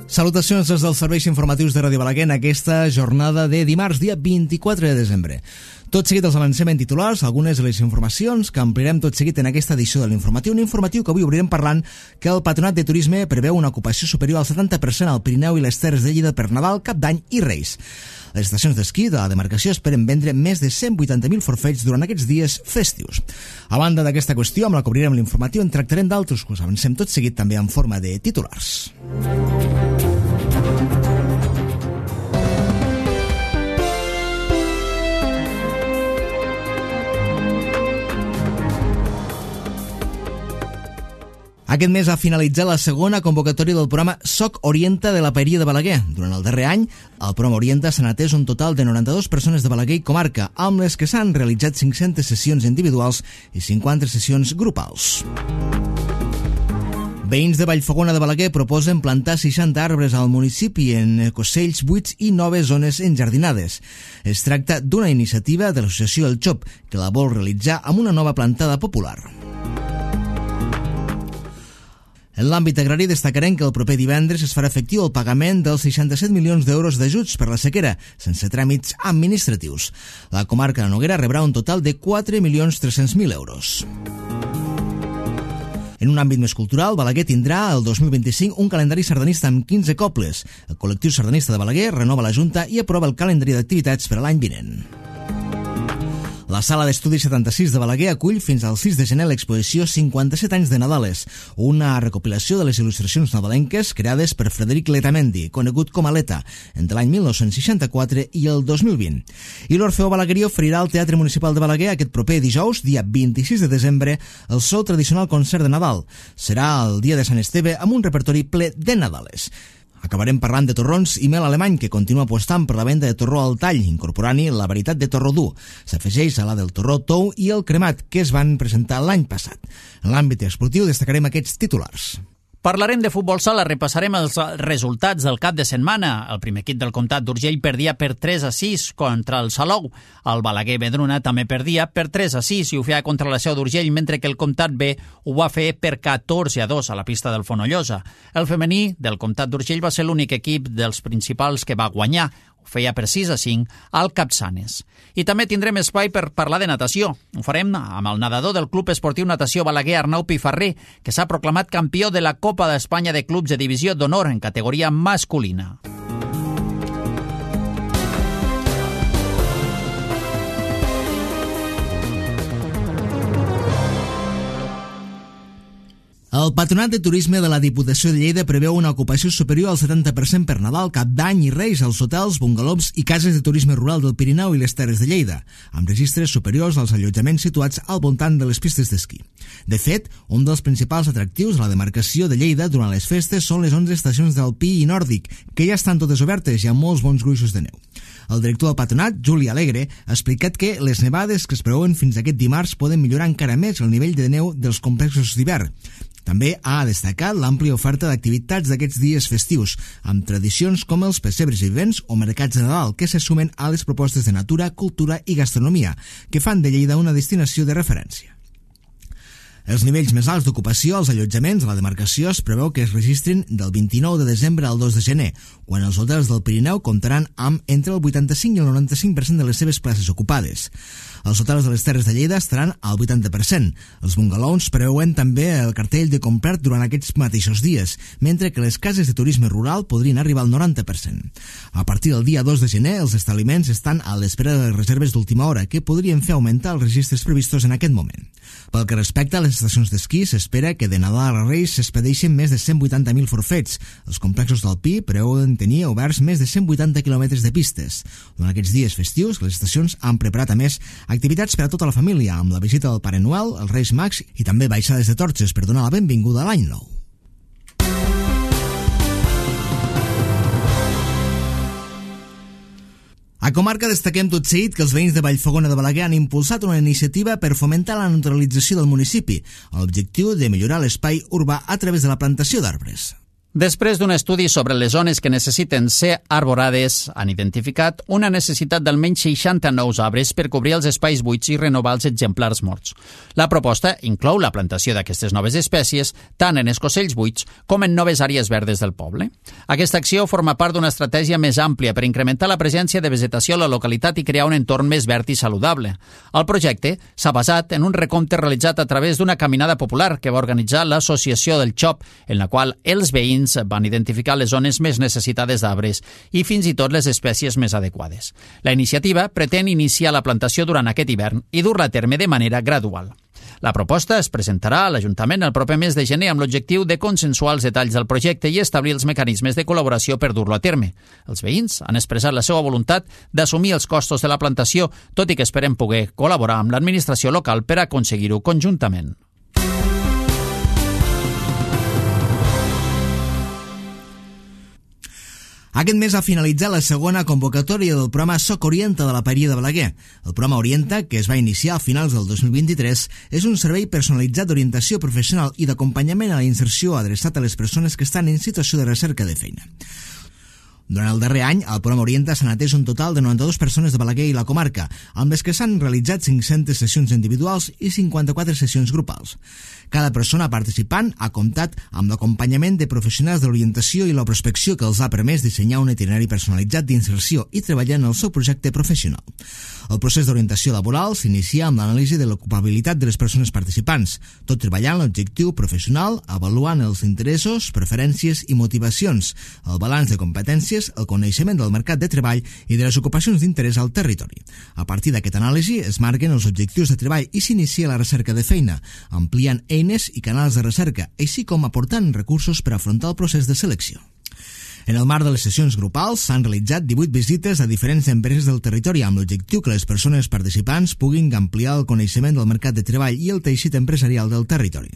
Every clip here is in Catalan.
Salutacions des dels serveis informatius de Ràdio Balaguer en aquesta jornada de dimarts, dia 24 de desembre. Tot seguit els avancem en titulars, algunes de les informacions que ampliarem tot seguit en aquesta edició de l'informatiu. Un informatiu que avui obrirem parlant que el Patronat de Turisme preveu una ocupació superior al 70% al Pirineu i les Terres de Lleida per Nadal, Cap d'Any i Reis. Les estacions d'esquí de la demarcació esperen vendre més de 180.000 forfets durant aquests dies festius. A banda d'aquesta qüestió, amb la que obrirem l'informatiu, en tractarem d'altres que us avancem tot seguit també en forma de titulars. Aquest mes ha finalitzat la segona convocatòria del programa SOC Orienta de la Paeria de Balaguer. Durant el darrer any, al programa Orienta s'han atès un total de 92 persones de Balaguer i comarca, amb les que s'han realitzat 500 sessions individuals i 50 sessions grupals. Veïns de Vallfogona de Balaguer proposen plantar 60 arbres al municipi en ecocells buits i noves zones enjardinades. Es tracta d'una iniciativa de l'associació El Xop, que la vol realitzar amb una nova plantada popular. En l'àmbit agrari destacarem que el proper divendres es farà efectiu el pagament dels 67 milions d'euros d'ajuts per la sequera, sense tràmits administratius. La comarca de Noguera rebrà un total de 4.300.000 euros. En un àmbit més cultural, Balaguer tindrà el 2025 un calendari sardanista amb 15 cobles. El col·lectiu sardanista de Balaguer renova la Junta i aprova el calendari d'activitats per a l'any vinent. La Sala d'Estudis 76 de Balaguer acull fins al 6 de gener l'exposició 57 anys de Nadales, una recopilació de les il·lustracions nadalenques creades per Frederic Letamendi, conegut com a Leta, entre l'any 1964 i el 2020. I l'Orfeó Balaguerí oferirà al Teatre Municipal de Balaguer aquest proper dijous, dia 26 de desembre, el seu tradicional concert de Nadal. Serà el dia de Sant Esteve amb un repertori ple de Nadales. Acabarem parlant de torrons i mel alemany, que continua apostant per la venda de torró al tall, incorporant-hi la varietat de torró dur. S'afegeix a la del torró tou i el cremat, que es van presentar l'any passat. En l'àmbit esportiu destacarem aquests titulars. Parlarem de futbol sala, repassarem els resultats del cap de setmana. El primer equip del Comtat d'Urgell perdia per 3-6 contra el Salou. El Balaguer Vedruna també perdia per 3-6 i ho feia contra la Seu d'Urgell, mentre que el Comtat B ho va fer per 14-2 a la pista del Fonollosa. El femení del Comtat d'Urgell va ser l'únic equip dels principals que va guanyar. Ho feia per 6-5 al Capçanes. I també tindrem espai per parlar de natació. Ho farem amb el nedador del Club Esportiu Natació Balaguer, Arnau Pifarré, que s'ha proclamat campió de la Copa d'Espanya de Clubs de Divisió d'Honor en categoria masculina. El Patronat de Turisme de la Diputació de Lleida preveu una ocupació superior al 70% per Nadal, Cap d'Any i Reis als hotels, bungalows i cases de turisme rural del Pirineu i les Terres de Lleida, amb registres superiors als allotjaments situats al voltant de les pistes d'esquí. De fet, un dels principals atractius de la demarcació de Lleida durant les festes són les 11 estacions d'alpí i nòrdic, que ja estan totes obertes i amb molts bons gruixos de neu. El director del Patronat, Juli Alegre, ha explicat que les nevades que es preveuen fins aquest dimarts poden millorar encara més el nivell de neu dels complexos d'hivern. També ha destacat l'àmplia oferta d'activitats d'aquests dies festius, amb tradicions com els pessebres vivents o mercats de Nadal, que se sumen a les propostes de natura, cultura i gastronomia, que fan de Lleida una destinació de referència. Els nivells més alts d'ocupació als allotjaments de la demarcació es preveu que es registrin del 29 de desembre al 2 de gener, quan els hotels del Pirineu comptaran amb entre el 85 i el 95% de les seves places ocupades. Els hotels de les Terres de Lleida estaran al 80%. Els bungalows preveuen també el cartell de comprat durant aquests mateixos dies, mentre que les cases de turisme rural podrien arribar al 90%. A partir del dia 2 de gener, els establiments estan a l'espera de les reserves d'última hora, que podrien fer augmentar els registres previstos en aquest moment. Pel que respecta a les estacions d'esquí, s'espera que de Nadal a Reis s'expedeixen més de 180.000 forfets. Els complexos d'alpí preveuen tenir oberts més de 180 quilòmetres de pistes. Durant aquests dies festius, les estacions han preparat, a més, activitats per a tota la família, amb la visita del Pare Noel, els Reis Mags i també baixades de torxes per donar la benvinguda a l'any nou. A comarca destaquem tot seguit que els veïns de Vallfogona de Balaguer han impulsat una iniciativa per fomentar la naturalització del municipi, amb l'objectiu de millorar l'espai urbà a través de la plantació d'arbres. Després d'un estudi sobre les zones que necessiten ser arborades, han identificat una necessitat d'almenys 60 nous arbres per cobrir els espais buits i renovar els exemplars morts. La proposta inclou la plantació d'aquestes noves espècies tant en escocells buits com en noves àrees verdes del poble. Aquesta acció forma part d'una estratègia més àmplia per incrementar la presència de vegetació a la localitat i crear un entorn més verd i saludable. El projecte s'ha basat en un recompte realitzat a través d'una caminada popular que va organitzar l'Associació del Xop, en la qual els veïns van identificar les zones més necessitades d'arbres i fins i tot les espècies més adequades. La iniciativa pretén iniciar la plantació durant aquest hivern i dur-la a terme de manera gradual. La proposta es presentarà a l'Ajuntament el proper mes de gener amb l'objectiu de consensuar els detalls del projecte i establir els mecanismes de col·laboració per dur-lo a terme. Els veïns han expressat la seva voluntat d'assumir els costos de la plantació, tot i que esperen poder col·laborar amb l'administració local per aconseguir-ho conjuntament. Aquest mes ha finalitzat la segona convocatòria del programa Soc Orienta de la Paeria de Balaguer. El programa Orienta, que es va iniciar a finals del 2023, és un servei personalitzat d'orientació professional i d'acompanyament a la inserció adreçat a les persones que estan en situació de recerca de feina. Durant el darrer any, al programa Orienta s'han atès un total de 92 persones de Balaguer i la comarca, amb les que s'han realitzat 500 sessions individuals i 54 sessions grupals. Cada persona participant ha comptat amb l'acompanyament de professionals de l'orientació i la prospecció que els ha permès dissenyar un itinerari personalitzat d'inserció i treballar en el seu projecte professional. El procés d'orientació laboral s'inicia amb l'anàlisi de l'ocupabilitat de les persones participants, tot treballant l'objectiu professional, avaluant els interessos, preferències i motivacions, el balanç de competències, el coneixement del mercat de treball i de les ocupacions d'interès al territori. A partir d'aquesta anàlisi es marquen els objectius de treball i s'inicia la recerca de feina, ampliant eines i canals de recerca, així com aportant recursos per afrontar el procés de selecció. En el marc de les sessions grupals s'han realitzat 18 visites a diferents empreses del territori amb l'objectiu que les persones participants puguin ampliar el coneixement del mercat de treball i el teixit empresarial del territori.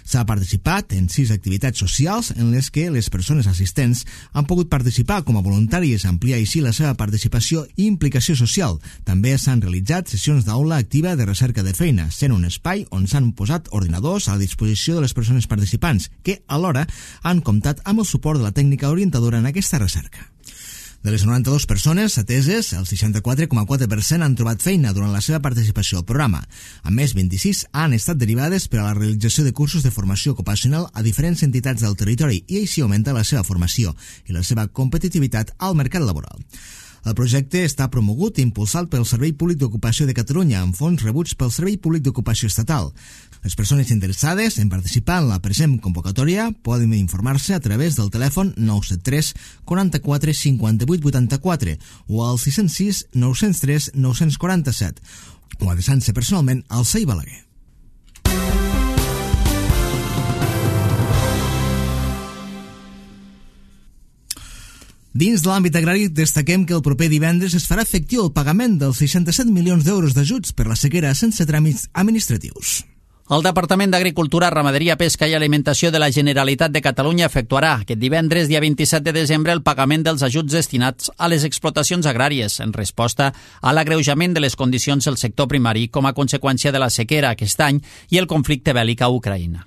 S'ha participat en 6 activitats socials en les que les persones assistents han pogut participar com a voluntàries, ampliar així la seva participació i implicació social. També s'han realitzat sessions d'aula activa de recerca de feina, sent un espai on s'han posat ordinadors a la disposició de les persones participants, que alhora han comptat amb el suport de la tècnica orientadora en aquesta recerca. De les 92 persones ateses, el 64,4% han trobat feina durant la seva participació al programa. A més, 26 han estat derivades per a la realització de cursos de formació ocupacional a diferents entitats del territori i així augmenta la seva formació i la seva competitivitat al mercat laboral. El projecte està promogut i impulsat pel Servei Públic d'Ocupació de Catalunya amb fons rebuts pel Servei Públic d'Ocupació Estatal. Les persones interessades en participar en la present convocatòria poden informar-se a través del telèfon 973 44 58 84 o al 606 903 947 o adreçant-se personalment al CEI Balaguer. Dins de l'àmbit agrari, destaquem que el proper divendres es farà efectiu el pagament dels 67 milions d'euros d'ajuts per la sequera sense tràmits administratius. El Departament d'Agricultura, Ramaderia, Pesca i Alimentació de la Generalitat de Catalunya efectuarà aquest divendres, dia 27 de desembre, el pagament dels ajuts destinats a les explotacions agràries en resposta a l'agreujament de les condicions del sector primari com a conseqüència de la sequera aquest any i el conflicte bèl·lic a Ucraïna.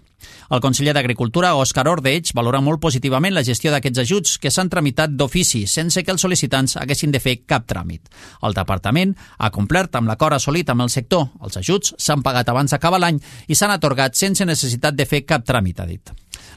El conseller d'Agricultura, Òscar Ordeig, valora molt positivament la gestió d'aquests ajuts que s'han tramitat d'ofici sense que els sol·licitants haguessin de fer cap tràmit. El departament ha complert amb l'acord assolit amb el sector. Els ajuts s'han pagat abans d'acabar l'any i s'han atorgat sense necessitat de fer cap tràmit, ha dit.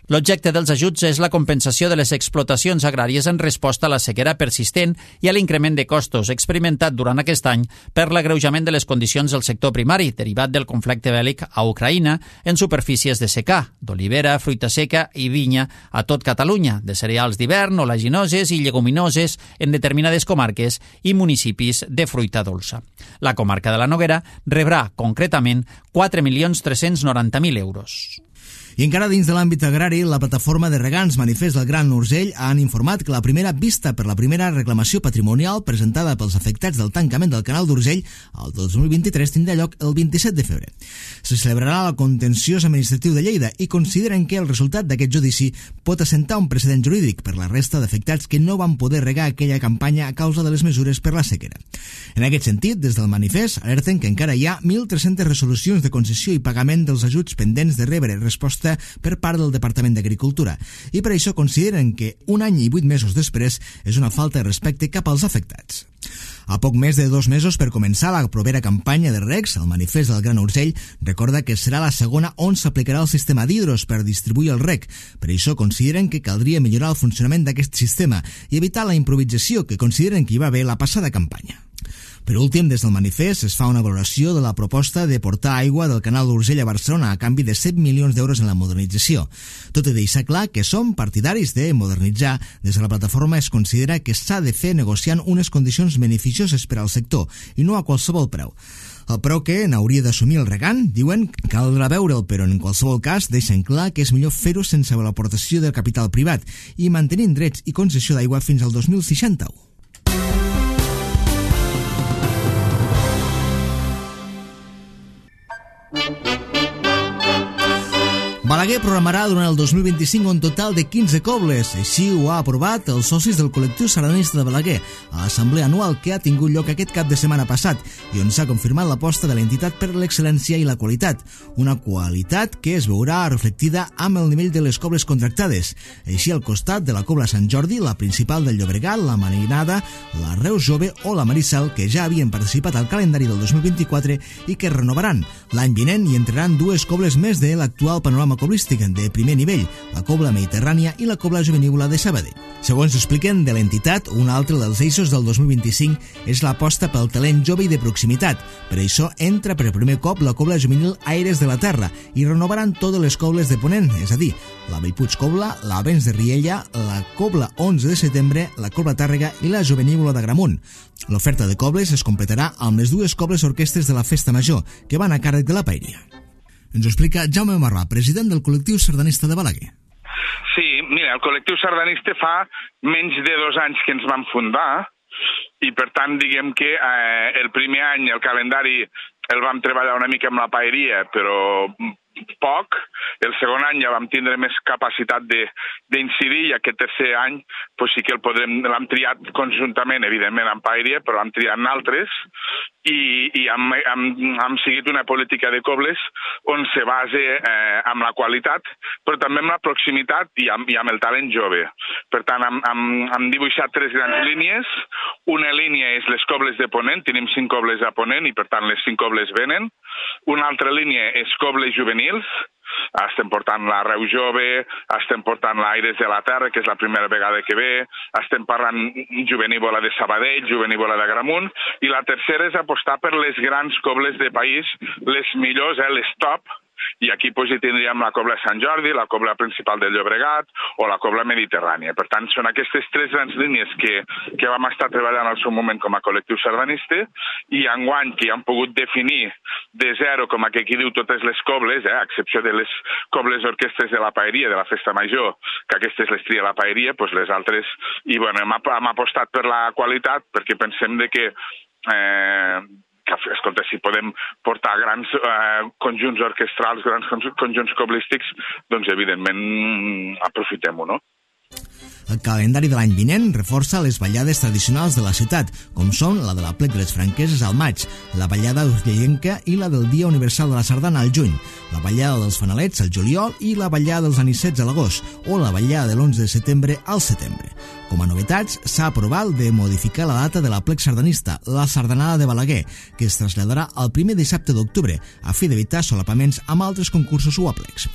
L'objecte dels ajuts és la compensació de les explotacions agràries en resposta a la sequera persistent i a l'increment de costos experimentat durant aquest any per l'agreujament de les condicions del sector primari derivat del conflicte bèl·lic a Ucraïna en superfícies de secà, d'olivera, fruita seca i vinya a tot Catalunya, de cereals d'hivern, oleaginoses i lleguminoses en determinades comarques i municipis de fruita dolça. La comarca de la Noguera rebrà concretament 4.390.000 euros. I encara dins de l'àmbit agrari, la plataforma de regants Manifest del Gran Urgell han informat que la primera vista per la primera reclamació patrimonial presentada pels afectats del tancament del canal d'Urgell el 2023 tindrà lloc el 27 de febrer. Se celebrarà el contenciós administratiu de Lleida i consideren que el resultat d'aquest judici pot assentar un precedent jurídic per la resta d'afectats que no van poder regar aquella campanya a causa de les mesures per la sequera. En aquest sentit, des del manifest alerten que encara hi ha 1.300 resolucions de concessió i pagament dels ajuts pendents de rebre resposta proposta per part del Departament d'Agricultura i per això consideren que un any i 8 mesos després és una falta de respecte cap als afectats. A poc més de 2 mesos per començar la propera campanya de regs, el manifest del Gran Urgell recorda que serà la segona on s'aplicarà el sistema d'hidros per distribuir el reg. Per això consideren que caldria millorar el funcionament d'aquest sistema i evitar la improvisació que consideren que hi va haver la passada campanya. Per últim, des del manifest es fa una valoració de la proposta de portar aigua del canal d'Urgell a Barcelona a canvi de 7 milions d'euros en la modernització. Tot i deixar clar que som partidaris de modernitzar, des de la plataforma es considera que s'ha de fer negociant unes condicions beneficioses per al sector i no a qualsevol preu. El preu que n'hauria d'assumir el regant, diuen, caldrà veure'l, però en qualsevol cas deixen clar que és millor fer-ho sense l'aportació del capital privat i mantenint drets i concessió d'aigua fins al 2061. Balaguer programarà durant el 2025 un total de 15 cobles. Així ho ha aprovat els socis del col·lectiu sardanista de Balaguer a l'assemblea anual que ha tingut lloc aquest cap de setmana passat i on s'ha confirmat l'aposta de l'entitat per l'excel·lència i la qualitat. Una qualitat que es veurà reflectida amb el nivell de les cobles contractades. Així al costat de la cobla Sant Jordi, la principal del Llobregat, la Marinada, la Reus Jove o la Marissal, que ja havien participat al calendari del 2024 i que renovaran. L'any vinent hi entraran 2 cobles més de l'actual panorama coblístic de primer nivell, la cobla mediterrània i la cobla jovenívola de Sabadell. Segons expliquen de l'entitat, un altre dels eixos del 2025 és l'aposta pel talent jove i de proximitat. Per això entra per primer cop la cobla juvenil Aires de la Terra i renovaran totes les cobles de Ponent, és a dir, la Bellpuig Cobla, la Vents de Riella, la cobla 11 de setembre, la cobla Tàrrega i la jovenívola d'Agramunt. L'oferta de cobles es completarà amb les 2 cobles orquestres de la Festa Major, que van a càrrec de la Paeria. Ens ho explica Jaume Marrà, president del col·lectiu sardanista de Balaguer. Sí, mira, el col·lectiu sardanista fa menys de 2 anys que ens vam fundar i, per tant, diguem que el primer any el calendari el vam treballar una mica amb la paeria, però poc. El segon any ja vam tindre més capacitat d'incidir i aquest tercer any pues sí que l'hem triat conjuntament, evidentment, amb paeria, però l'hem triat en altres i hem seguit una política de cobles on se base amb la qualitat, però també amb la proximitat i amb el talent jove. Per tant, hem dibuixat 3 grans línies. Una línia és les cobles de Ponent, tenim 5 cobles a Ponent i per tant les 5 cobles venen. Una altra línia és cobles juvenils, estem portant la Reus Jove, estem portant l'Aires de la Terra, que és la primera vegada que ve, estem parlant jovenívola de Sabadell, jovenívola d'Agramunt, i la tercera és apostar per les grans cobles de país, les millors, les top, i aquí hi tindríem la cobla Sant Jordi, la cobla principal del Llobregat o la cobla mediterrània. Per tant, són aquestes 3 grans línies que vam estar treballant al seu moment com a col·lectiu sardanista i enguany que ja hem pogut definir de zero, com aquí diu, totes les cobles, a excepció de les cobles orquestres de la paeria, de la Festa Major, que aquestes les tria la paeria, doncs les altres, i bueno, hem apostat per la qualitat perquè pensem que escolta, si podem portar grans conjunts orquestrals, grans conjunts coblístics, doncs evidentment aprofitem-ho, no? El calendari de l'any vinent reforça les ballades tradicionals de la ciutat, com són la de la Plec de les Franqueses al maig, la ballada urgellenca i la del Dia Universal de la Sardana al juny, la ballada dels Fanalets al juliol i la ballada dels Anicets a l'agost, o la ballada de l'11 de setembre al setembre. Com a novetats, s'ha aprovat de modificar la data de la Plec sardanista, la Sardanada de Balaguer, que es traslladarà al primer dissabte d'octubre, a fi d'evitar solapaments amb altres concursos o aplecs.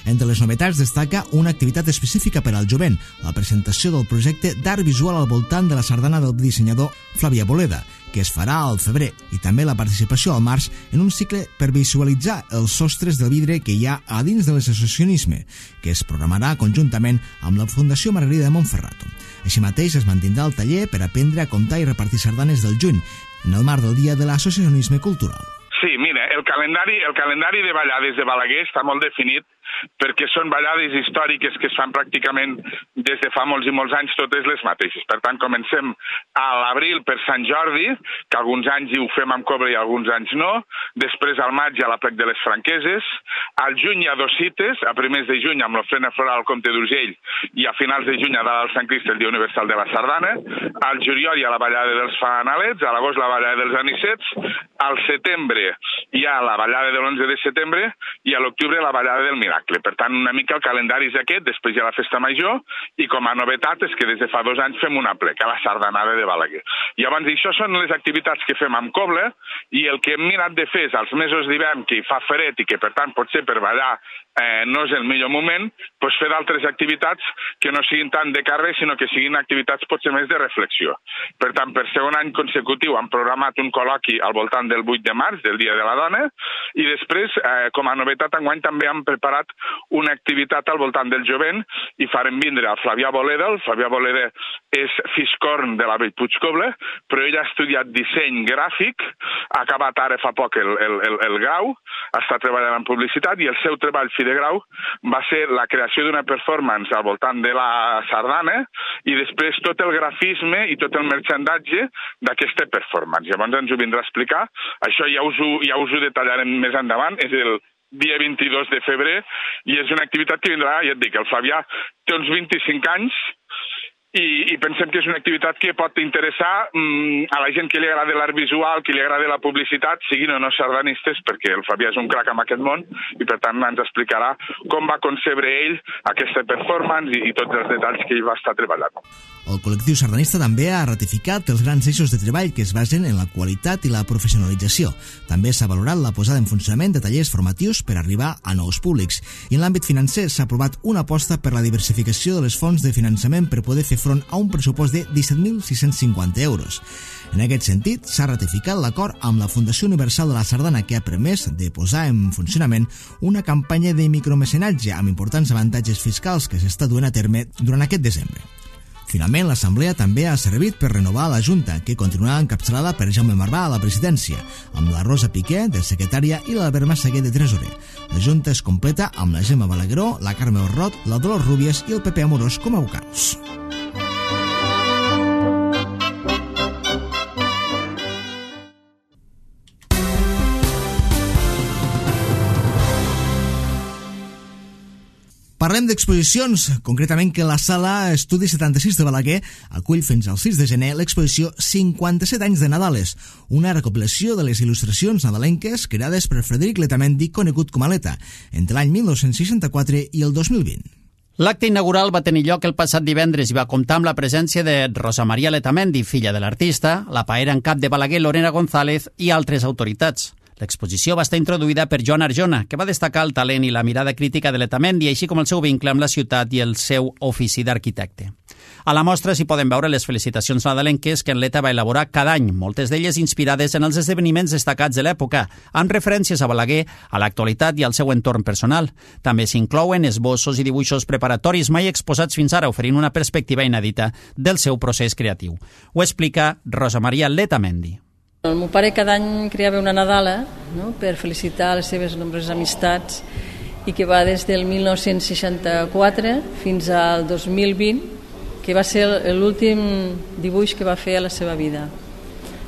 Entre les novetats destaca una activitat específica per al jovent, la presentació del projecte d'art visual al voltant de la sardana del dissenyador Flavia Boleda, que es farà al febrer, i també la participació al març en un cicle per visualitzar els sostres del vidre que hi ha a dins de l'associacionisme, que es programarà conjuntament amb la Fundació Margarida de Montferrato. Així mateix es mantindrà el taller per aprendre a comptar i repartir sardanes del juny, en el marc del Dia de l'Associacionisme Cultural. Sí, mira, el calendari de ballades de Balaguer està molt definit perquè són ballades històriques que es fan pràcticament des de fa molts i molts anys totes les mateixes. Per tant, comencem a l'abril per Sant Jordi, que alguns anys hi ho fem amb cobre i alguns anys no, després al maig hi ha la Plec de les Franqueses, al juny hi ha 2 cites, a primers de juny amb l'ofrena floral al Comte d'Urgell i a finals de juny a dalt al Sant Crist el Dia Universal de la Sardana, al juliol hi ha la ballada dels Fanalets, a l'agost la ballada dels Anicets, al setembre hi hi ha la ballada de l'11 de setembre i a l'octubre la ballada del Miracle. Per tant, una mica el calendari és aquest, després hi ha la festa major i com a novetat és que des de fa 2 anys fem un aplec a la sardanada de Balaguer. Llavors, això són les activitats que fem amb coble i el que hem mirat de fer és als mesos d'hivern que hi fa fred i que per tant potser per ballar no és el millor moment, doncs fer d'altres activitats que no siguin tant de carrer, sinó que siguin activitats potser més de reflexió. Per tant, per segon any consecutiu hem programat un col·loqui al voltant del 8 de març, del Dia de la Dona, i després, com a novetat, enguany també hem preparat una activitat al voltant del jovent i farem vindre el Flavià Boleda. El Flavià Boleda és fiscorn de la Bellpuig Coble, però ell ha estudiat disseny gràfic, ha acabat ara fa poc el grau, està treballant en publicitat i el seu treball de grau va ser la creació d'una performance al voltant de la sardana i després tot el grafisme i tot el merchandatge d'aquesta performance. Llavors ens ho vindrà a explicar. Això ja us ho detallarem més endavant. És el dia 22 de febrer i és una activitat que vindrà, ja et dic, el Flavià té uns 25 anys i pensem que és una activitat que pot interessar a la gent que li agrada l'art visual, que li agrada la publicitat, siguin o no sardanistes, perquè el Fabià és un crac en aquest món i per tant ens explicarà com va concebre ell aquesta performance i tots els detalls que ell va estar treballant. El col·lectiu sardanista també ha ratificat els grans eixos de treball que es basen en la qualitat i la professionalització. També s'ha valorat la posada en funcionament de tallers formatius per arribar a nous públics. I en l'àmbit financer s'ha aprovat una aposta per la diversificació de les fonts de finançament per poder fer front a un pressupost de 17.650 euros. En aquest sentit, s'ha ratificat l'acord amb la Fundació Universal de la Sardana que ha permès de posar en funcionament una campanya de micromecenatge amb importants avantatges fiscals que s'està duent a terme durant aquest desembre. Finalment, l'Assemblea també ha servit per renovar la Junta, que continuarà encapçalada per Jaume Marvà a la presidència, amb la Rosa Piqué de secretària i l'Albert Massaguer de tresorer. La Junta es completa amb la Gemma Balagueró, la Carme Orrot, la Dolors Rúbies i el Pepe Amorós com a vocals. Parlem d'exposicions, concretament que la Sala Estudi 76 de Balaguer acull fins al 6 de gener l'exposició 57 anys de Nadales, una recopilació de les il·lustracions nadalenques creades per Frederic Letamendi, conegut com a Leta, entre l'any 1964 i el 2020. L'acte inaugural va tenir lloc el passat divendres i va comptar amb la presència de Rosa Maria Letamendi, filla de l'artista, la paera en cap de Balaguer, Lorena González, i altres autoritats. L'exposició va estar introduïda per Joan Arjona, que va destacar el talent i la mirada crítica de Letamendi, així com el seu vincle amb la ciutat i el seu ofici d'arquitecte. A la mostra s'hi poden veure les felicitacions nadalenques que en Leta va elaborar cada any, moltes d'elles inspirades en els esdeveniments destacats de l'època, amb referències a Balaguer, a l'actualitat i al seu entorn personal. També s'inclouen esbossos i dibuixos preparatoris mai exposats fins ara, oferint una perspectiva inèdita del seu procés creatiu. Ho explica Rosa Maria Letamendi. El meu pare cada any creava una Nadala, no?, per felicitar les seves nombroses amistats i que va des del 1964 fins al 2020, que va ser l'últim dibuix que va fer a la seva vida.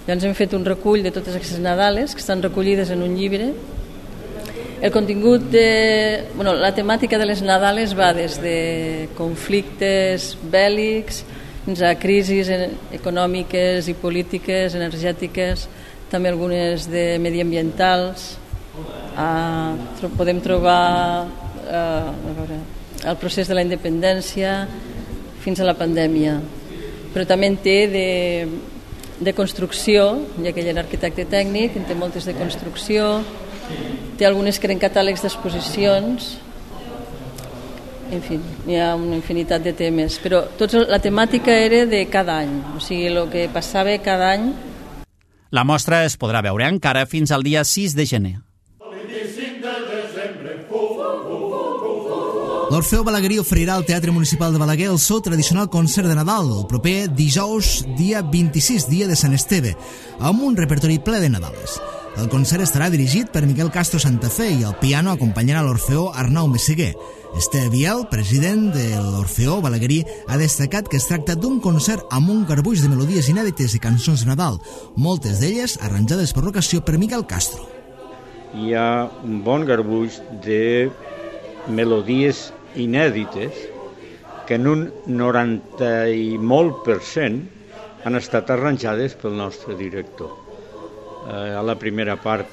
Llavors hem fet un recull de totes aquestes Nadales que estan recollides en un llibre. El contingut la temàtica de les Nadales va des de conflictes bèl·lics fins a crisis econòmiques i polítiques, energètiques, també algunes de mediambientals. Podem trobar el procés de la independència fins a la pandèmia, però també en té de construcció, ja que ell era arquitecte tècnic, en té moltes de construcció, té algunes que eren catàlegs d'exposicions. En fi, hi ha una infinitat de temes, però la temàtica era de cada any, o sigui, el que passava cada any. La mostra es podrà veure encara fins al dia 6 de gener. L'Orfeó Balaguerí oferirà al Teatre Municipal de Balaguer el seu tradicional concert de Nadal el proper dijous, dia 26, dia de Sant Esteve, amb un repertori ple de Nadales. El concert estarà dirigit per Miquel Castro Santafé i al piano acompanyarà l'Orfeó Arnau Messeguer. Esteve Biel, president de l'Orfeó Balaguerí, ha destacat que es tracta d'un concert amb un garbuix de melodies inèdites i cançons de Nadal, moltes d'elles arranjades per l'ocasió per Miquel Castro. Hi ha un bon garbuix de melodies inèdites que en un 90 i molt % han estat arranjades pel nostre director. A la primera part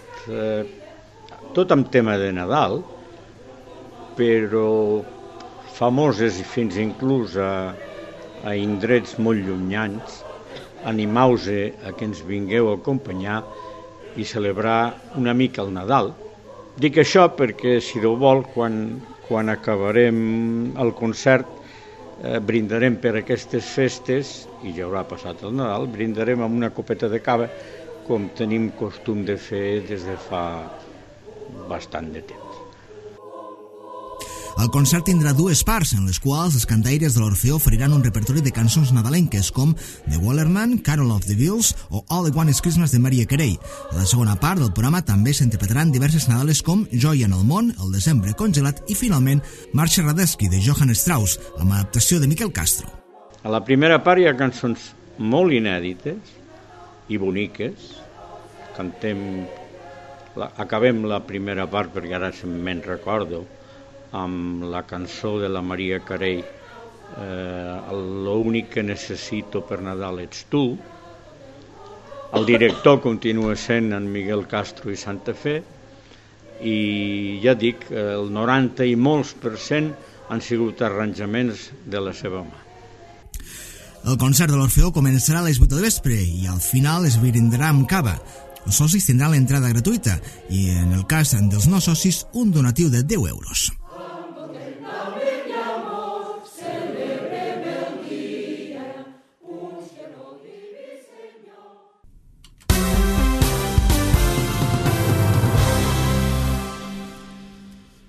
tot amb tema de Nadal, però famoses fins inclús a indrets molt llunyans. Animeu-vos a que ens vingueu a acompanyar i celebrar una mica el Nadal. Dic això perquè, si Déu vol, quan acabarem el concert, brindarem per aquestes festes, i ja haurà passat el Nadal, brindarem amb una copeta de cava, com tenim costum de fer des de fa bastant de temps. El concert tindrà dues parts, en les quals els cantaires de l'Orfeó oferiran un repertori de cançons nadalenques com The Wallerman, Carol of the Bells o All I Want is Christmas de Mariah Carey. A la segona part del programa també s'interpretaran diverses nadales com Joia en el món, El desembre congelat i, finalment, Marxa Radetzky de Johann Strauss, amb adaptació de Miquel Castro. A la primera part hi ha cançons molt inèdites i boniques. Acabem la primera part, perquè ara me'n recordo, amb la cançó de la Mariah Carey, L'únic que necessito per Nadal ets tu. El director continua sent en Miquel Castro i Santa Fe, i ja dic, el 90 i molts % han sigut arranjaments de la seva mà. El concert de l'Orfeó començarà a les 8 del vespre i al final es brindarà amb cava. Els socis tindran l'entrada gratuïta i, en el cas dels no socis, un donatiu de 10 euros.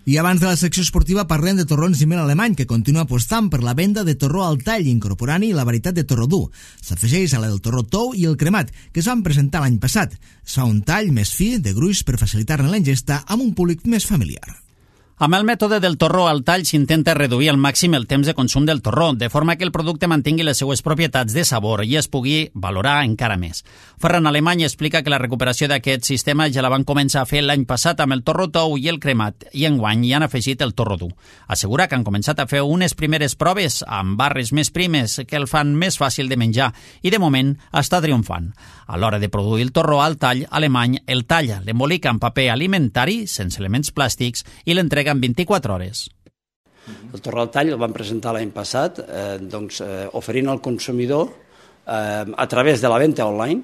I abans de la secció esportiva parlem de Torrons i Mel Alemany, que continua apostant per la venda de torró al tall, incorporant-hi la varietat de torró dur. S'afegeix a la del torró tou i el cremat, que es van presentar l'any passat. Es fa un tall més fi, de gruix, per facilitar-ne la ingesta amb un públic més familiar. Amb el mètode del torró al tall s'intenta reduir al màxim el temps de consum del torró, de forma que el producte mantingui les seues propietats de sabor i es pugui valorar encara més. Ferran Alemany explica que la recuperació d'aquest sistema ja la van començar a fer l'any passat amb el torró tou i el cremat, i enguany hi han afegit el torró dur. Assegura que han començat a fer unes primeres proves amb barres més primes que el fan més fàcil de menjar i de moment està triomfant. A l'hora de produir el torró al tall, Alemany el talla, l'embolica en paper alimentari, sense elements plàstics, i l'entrega en 24 hores. El torró al tall el vam presentar l'any passat, oferint al consumidor, a través de la venda online,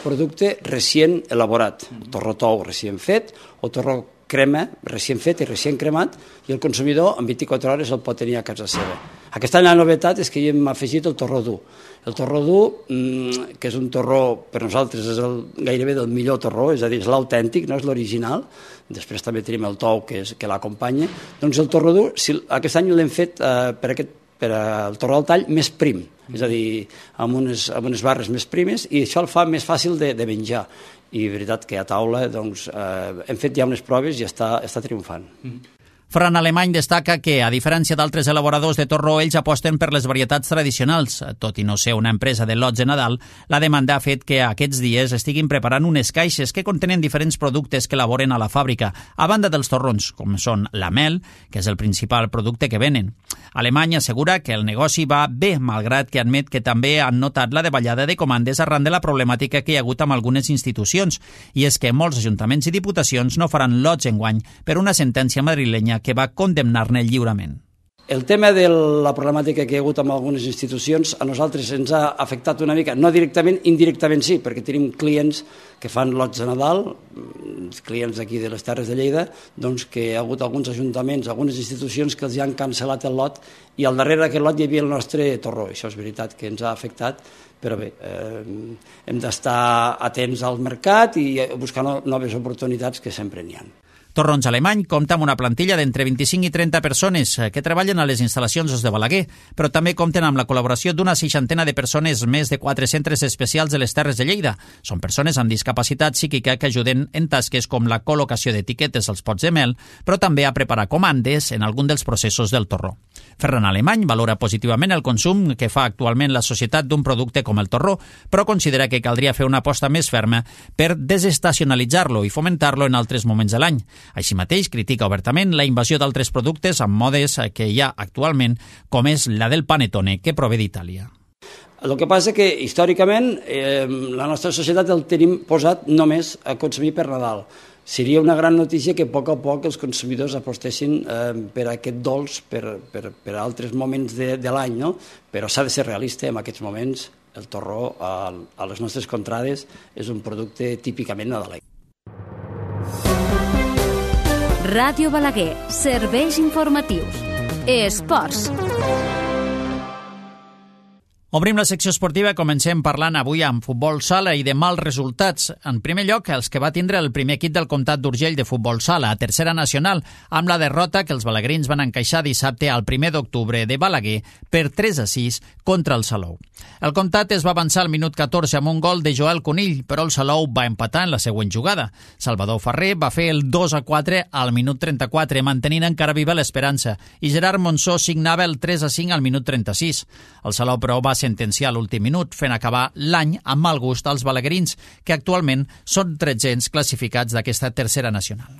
producte recient elaborat, torró tou recient fet o torró crema recient fet i recient cremat, i el consumidor en 24 hores el pot tenir a casa seva. Aquest any la novetat és que hi hem afegit el torró dur. El torró dur, que és un torró, per nosaltres és gairebé del millor torró, és a dir, és l'autèntic, no és l'original. Després també tenim el tou que l'acompanya. Doncs el torró dur, aquest any l'hem fet per al torró al tall més prim, és a dir, amb unes barres més primes, i això el fa més fàcil de menjar. I veritat que a taula hem fet ja unes proves i està triomfant. Ferran Alemany destaca que, a diferència d'altres elaboradors de torró, ells aposten per les varietats tradicionals. Tot i no ser una empresa de lots de Nadal, la demanda ha fet que aquests dies estiguin preparant unes caixes que contenen diferents productes que elaboren a la fàbrica, a banda dels torrons, com són la mel, que és el principal producte que venen. Alemany assegura que el negoci va bé, malgrat que admet que també han notat la davallada de comandes arran de la problemàtica que hi ha hagut amb algunes institucions, i és que molts ajuntaments i diputacions no faran lots enguany per una sentència madrilenya que va condemnar-ne lliurement. El tema de la problemàtica que hi ha hagut amb algunes institucions a nosaltres ens ha afectat una mica, no directament, indirectament sí, perquè tenim clients que fan lots de Nadal, clients d'aquí de les Terres de Lleida, doncs que hi ha hagut alguns ajuntaments, algunes institucions que els han cancel·lat el lot, i al darrere d'aquest lot hi havia el nostre torró. Això és veritat que ens ha afectat, però bé, hem d'estar atents al mercat i buscar noves oportunitats que sempre n'hi ha. Torrons Alemany compta amb una plantilla d'entre 25 i 30 persones que treballen a les instal·lacions de Balaguer, però també compten amb la col·laboració d'una 60 de persones més de 4 centres especials de les Terres de Lleida. Són persones amb discapacitat psíquica que ajuden en tasques com la col·locació d'etiquetes als pots de mel, però també a preparar comandes en algun dels processos del torró. Ferran Alemany valora positivament el consum que fa actualment la societat d'un producte com el torró, però considera que caldria fer una aposta més ferma per desestacionalitzar-lo i fomentar-lo en altres moments de l'any. Així mateix, critica obertament la invasió d'altres productes amb modes que hi ha actualment, com és la del panettone, que prové d'Itàlia. El que passa que, històricament, la nostra societat el tenim posat només a consumir per Nadal. Seria una gran notícia que a poc els consumidors apostessin per aquest dolç per altres moments de l'any, no? Però s'ha de ser realista, en aquests moments el torró a les nostres contrades és un producte típicament nadalenc. Ràdio Balaguer, serveis informatius. Esports. Obrim la secció esportiva i comencem parlant avui amb futbol sala i de mals resultats. En primer lloc, els que va tindre el primer equip del Comtat d'Urgell de futbol sala, a tercera nacional, amb la derrota que els balaguerins van encaixar dissabte al 1 d'octubre de Balaguer per 3-6 contra el Salou. El Comtat es va avançar al minut 14 amb un gol de Joel Conill, però el Salou va empatar en la següent jugada. Salvador Ferrer va fer el 2-4 al minut 34, mantenint encara viva l'esperança, i Gerard Monsó signava el 3-5 al minut 36. El Salou, però, va sentenciar l'últim minut, fent acabar l'any amb mal gust als balaguerins, que actualment són 1300 classificats d'aquesta tercera nacional.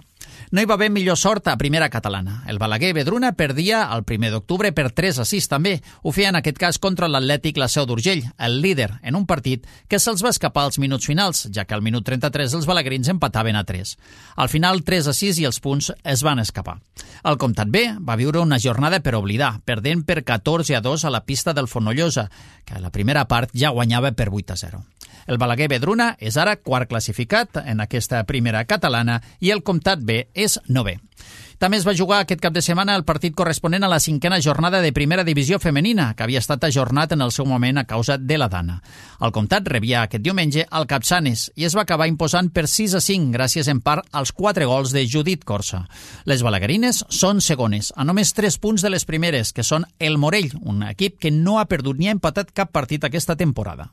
No hi va haver millor sort a primera catalana. El Balaguer Vedruna perdia el 1 d'octubre per 3-6 també. Ho feia en aquest cas contra l'Atlètic La Seu d'Urgell, el líder, en un partit que se'ls va escapar als minuts finals, ja que al minut 33 els balaguerins empataven a 3. Al final 3-6 i els punts es van escapar. El Comtat B va viure una jornada per oblidar, perdent per 14-2 a la pista del Fonollosa, que a la primera part ja guanyava per 8-0. El Balaguer Vedruna és ara quart classificat en aquesta primera catalana i el Comtat B és 9è. També es va jugar aquest cap de setmana el partit corresponent a la 5a jornada de primera divisió femenina, que havia estat ajornat en el seu moment a causa de la Dana. El Comtat rebia aquest diumenge al Capçanes i es va acabar imposant per 6-5, gràcies en part als 4 gols de Judit Corsa. Les balaguerines són segones, a només 3 punts de les primeres, que són el Morell, un equip que no ha perdut ni ha empatat cap partit aquesta temporada.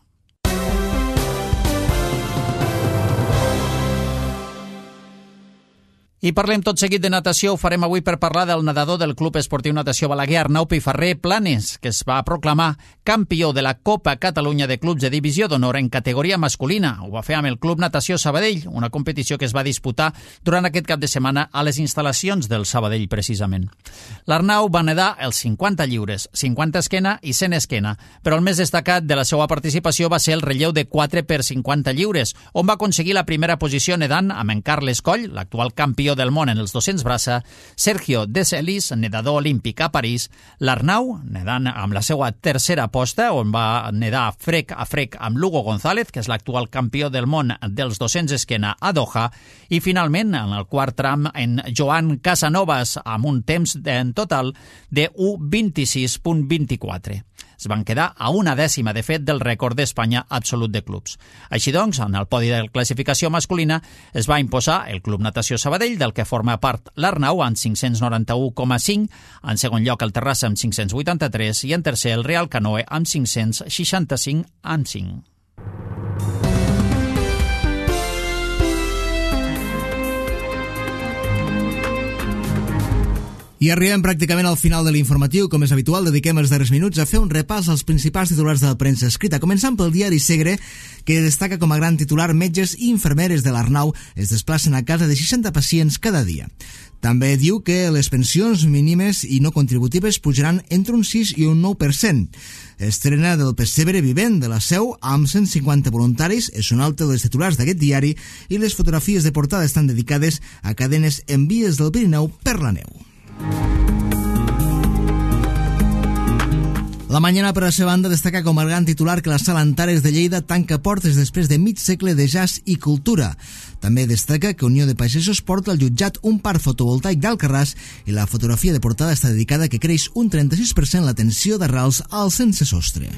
I parlem tot seguit de natació. Ho farem avui per parlar del nedador del Club Esportiu Natació Balaguer, Arnau Piferrer Planes, que es va proclamar campió de la Copa Catalunya de Clubs de Divisió d'Honor en categoria masculina. Ho va fer amb el Club Natació Sabadell, una competició que es va disputar durant aquest cap de setmana a les instal·lacions del Sabadell, precisament. L'Arnau va nedar els 50 lliures, 50 esquena i 100 esquena, però el més destacat de la seva participació va ser el relleu de 4 per 50 lliures, on va aconseguir la primera posició nedant amb en Carles Coll, l'actual campió del món en els 200 braça, Sergio De Celis, nedador olímpic a París, l'Arnau, nedant amb la seva tercera posta, on va nedar frec a frec amb Lugo González, que és l'actual campió del món dels 200 esquena a Doha, i finalment, en el quart tram, en Joan Casanovas, amb un temps en total de 1:26.24. Es van quedar a una dècima, de fet, del rècord d'Espanya absolut de clubs. Així doncs, en el podi de classificació masculina es va imposar el Club Natació Sabadell, del que forma part l'Arnau, amb 591,5, en segon lloc el Terrassa amb 583 i en tercer el Real Canoe amb 565,5. I arribem pràcticament al final de l'informatiu. Com és habitual, dediquem els darrers minuts a fer un repàs als principals titulars de la premsa escrita, començant pel diari Segre, que destaca com a gran titular: metges i infermeres de l'Arnau es desplacen a casa de 60 pacients cada dia. També diu que les pensions mínimes i no contributives pujaran entre un 6 i un 9%. Estrena del pessebre vivent de la Seu amb 150 voluntaris és un altre dels titulars d'aquest diari, i les fotografies de portada estan dedicades a cadenes en vies del Pirineu per la neu. La Mañana, per la seva banda, destaca com a gran titular que la Sala Antares de Lleida tanca portes després de mig segle de jazz i cultura. També destaca que Unió de Pagesos porta al jutjat un parc fotovoltaic d'Alcarràs, i la fotografia de portada està dedicada a que creix un 36% la tensió d'arrels al sense sostre.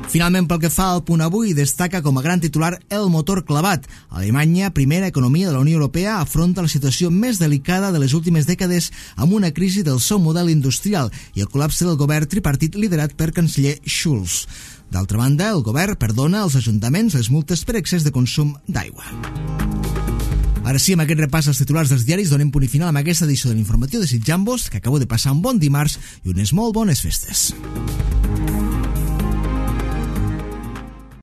Finalment, pel que fa al Punt Avui, destaca com a gran titular el motor clavat. Alemanya, primera economia de la Unió Europea, afronta la situació més delicada de les últimes dècades amb una crisi del seu model industrial i el col·lapse del govern tripartit liderat per canceller Schulz. D'altra banda, el govern perdona als ajuntaments les multes per excés de consum d'aigua. Ara sí, amb aquest repàs als titulars dels diaris, donem punt i final amb aquesta edició de l'informatiu, desitjant-vos que acabeu de passar un bon dimarts i unes molt bones festes.